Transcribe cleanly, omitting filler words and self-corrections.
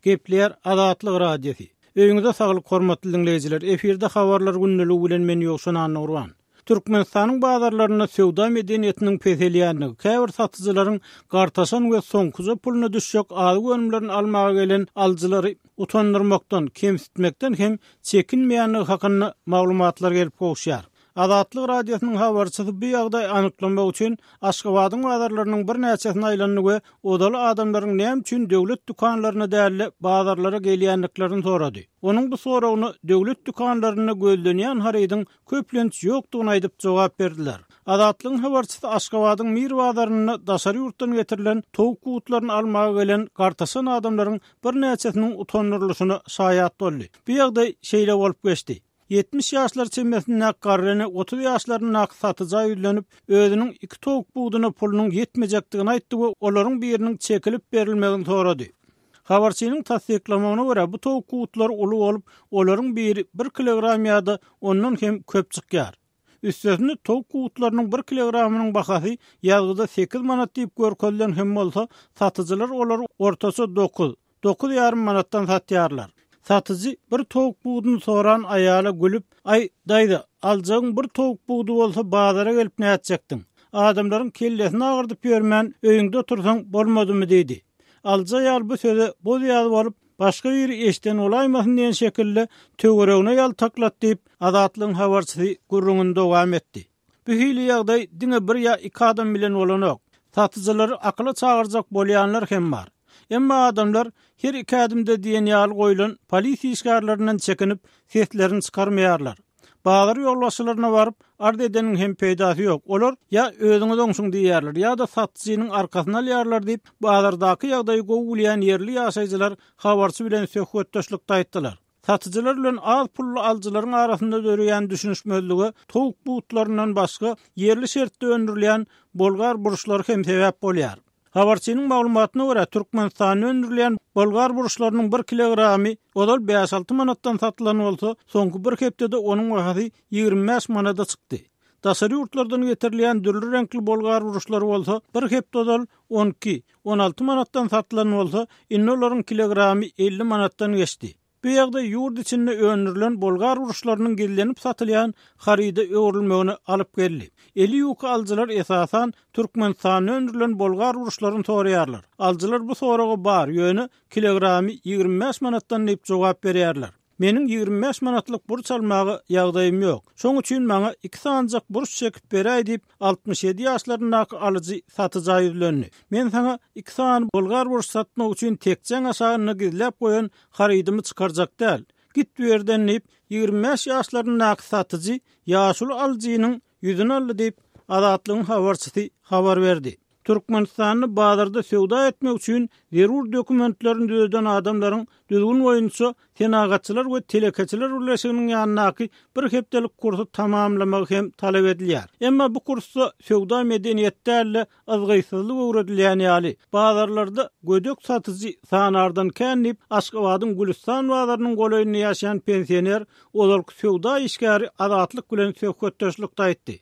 Gepleýär Azatlyk Radiosy. Öýüňize saglyk hormatly diňleýjiler. Efirde habarlar gündeligi bilen men Ýowşan Annagurban. Türkmenistanyň bazarlarynda söwda medeniýetiniň peselýändigi, käbir satyjylaryň gartaşan we soňkuja puluna düşjek azyk önümlerini almaga gelen alyjylary utandyrmakdan, kemsitmekden hem çekinmeýändigi hakynda maglumatlar gelip gowuşýar. Azatlyk Radiosynyň habarçysy bu ýagdaýy anyklamak üçin Aşgabadyň bazarlarynyň birnäçesine aýlandy we ozaly adamlaryň näme üçin döwlet dükanlaryna däl-de, bazarlara gelýändiklerini sorady. Onuň bu soragyna döwlet dükanlarynda gözlenýän harydyň köplenç ýokdugyny aýdyp jogap berdiler. Azatlygyň habarçysy Aşgabadyň Mir bazarynda daşary ýurtdan getirilen towuk gutlaryny almaga gelen gartaşan adamlaryň birnäçesiniň utandyrylyşyna şaýat boldy. Bu ýagdaý şeýle bolup geçdi. 70 ýaşlar çemesindäki garry ene 30 ýaşlaryndaky satyja ýüzlenip, özüniň iki towuk buduna pulunyň ýetmejekdigini aýtdy we olaryň biriniň çekilip berilmegini sorady. Habarçynyň tassyklamagyna görä, bu towuk gutlary uly bolup, olaryň biri bir kilogram ýa-da ondan hem köp çykýar. Üstesine, towuk gutlarynyň bir kilogramynyň bahasy ýazgyda sekiz manat diýip görkezilen hem bolsa, satyjylar olary ortaça dokuz, dokuz ýarym manatdan satýarlar. Satyjy bir towuk buduny soran aýala gülüp, Aý, daýza, aljagyň bir towuk budy bolsa bazara gelip nätjekdiň? Adamlaryň kellesini agyrdyp ýörmän, öýüňde otursaň bolmadymy diýdi. Alyjy aýal bu söze boz-ýaz bolup, başga biri eşiden bolaýmasyn diýen şekilde töweregine ýaltaklat diýip, Azatlygyň habarçysy gürrüňini dowam etdi. Bu hili ýagdaý diňe bir ýa iki adam bilen bolanok. Satyjylary akyla çagyrjak bolýanlar hem bar. Emma adamlar her iki ädimde diýen ýaly goýlan polisiýa işgärlerinden çekinip, seslerini çykarmaýarlar. Bazar ýolbaşçylaryna baryp, arz edeniň hem peýdasy ýok. Olar ýa özüňiz oňşuň diýýärler, ýa-da satyjynyň arkasyny alýarlar diýip, bazardaky ýagdaýy gowy bilýän ýerli ýaşaýjylar habarçy bilen söhbetdeşlikde aýtdylar. Satyjylar bilen az pully alyjylaryň arasynda döreýän düşünişmezlige towuk butlaryndan başga ýerli şertde öndürilýän bolgar burçlary hem sebäp bolýar. Habarçynyň maglumatyna görä, Türkmenistanda öndürilýän bolgar burçlarynyň bir kilogramy ozal bäş-alty manatdan satylan bolsa, soňky bir hepdede onuň bahasy 25 manada çykdy. Daşary ýurtlardan getirilýän dürli reňkli bolgar burçlary bolsa, bir hepde ozal 12, 16 manatdan satylan bolsa, indi olaryň kilogramy 50 manatdan geçdi. Bu ýagdaý ýurt içinde öndürilen bolgar burçlarynyň gizlenip satylýan haryda öwrülmegine alyp geldi. Eli ýuka alyjylar esasan Türkmenistanda öndürilen bolgar burçlaryny soraýarlar. Alyjylar bu soraga bar, ýöne kilogramy 25 manatdan diýip jogap berýärler. Meniň 25 manatlyk burç almaga ýagdaýym ýok. Şoň üçin maňa iki sanyjak burç çekip beräý diýip, 67 ýaşlaryndaky alyjy satyja ýüzlendi. Men saňa iki sany bolgar burç satmak üçin tekjäň aşagynda gizläp goýan harydymy çykarjak däl. Git bu ýerden diýip, 25 ýaşlaryndaky satyjy ýaşuly alyjynyň ýüzüni aldy diýip, Azatlygyň habarçysy habar berdi. Türkmenistanda bazarda söwda etmek üçin zerur dokumentlerini düzeden adamlaryň düzgün boýunça Senagatçylar we telekeçiler birleşiginiň ýanyndaky bir hepdelik kursy tamamlamagy hem talap edilýär. Emma bu kursda söwda medeniýeti däl-de, yzgytsyzlyk öwredilýän ýaly. Bazarlarda gödek satyjy sanardan kän diýip, Aşgabadyň Gülüstan bazarynyň golaýynda ýaşaýan pensioner, ozalky söwda işgäri Azatlyk bilen söhbetdeşlikde aýtdy.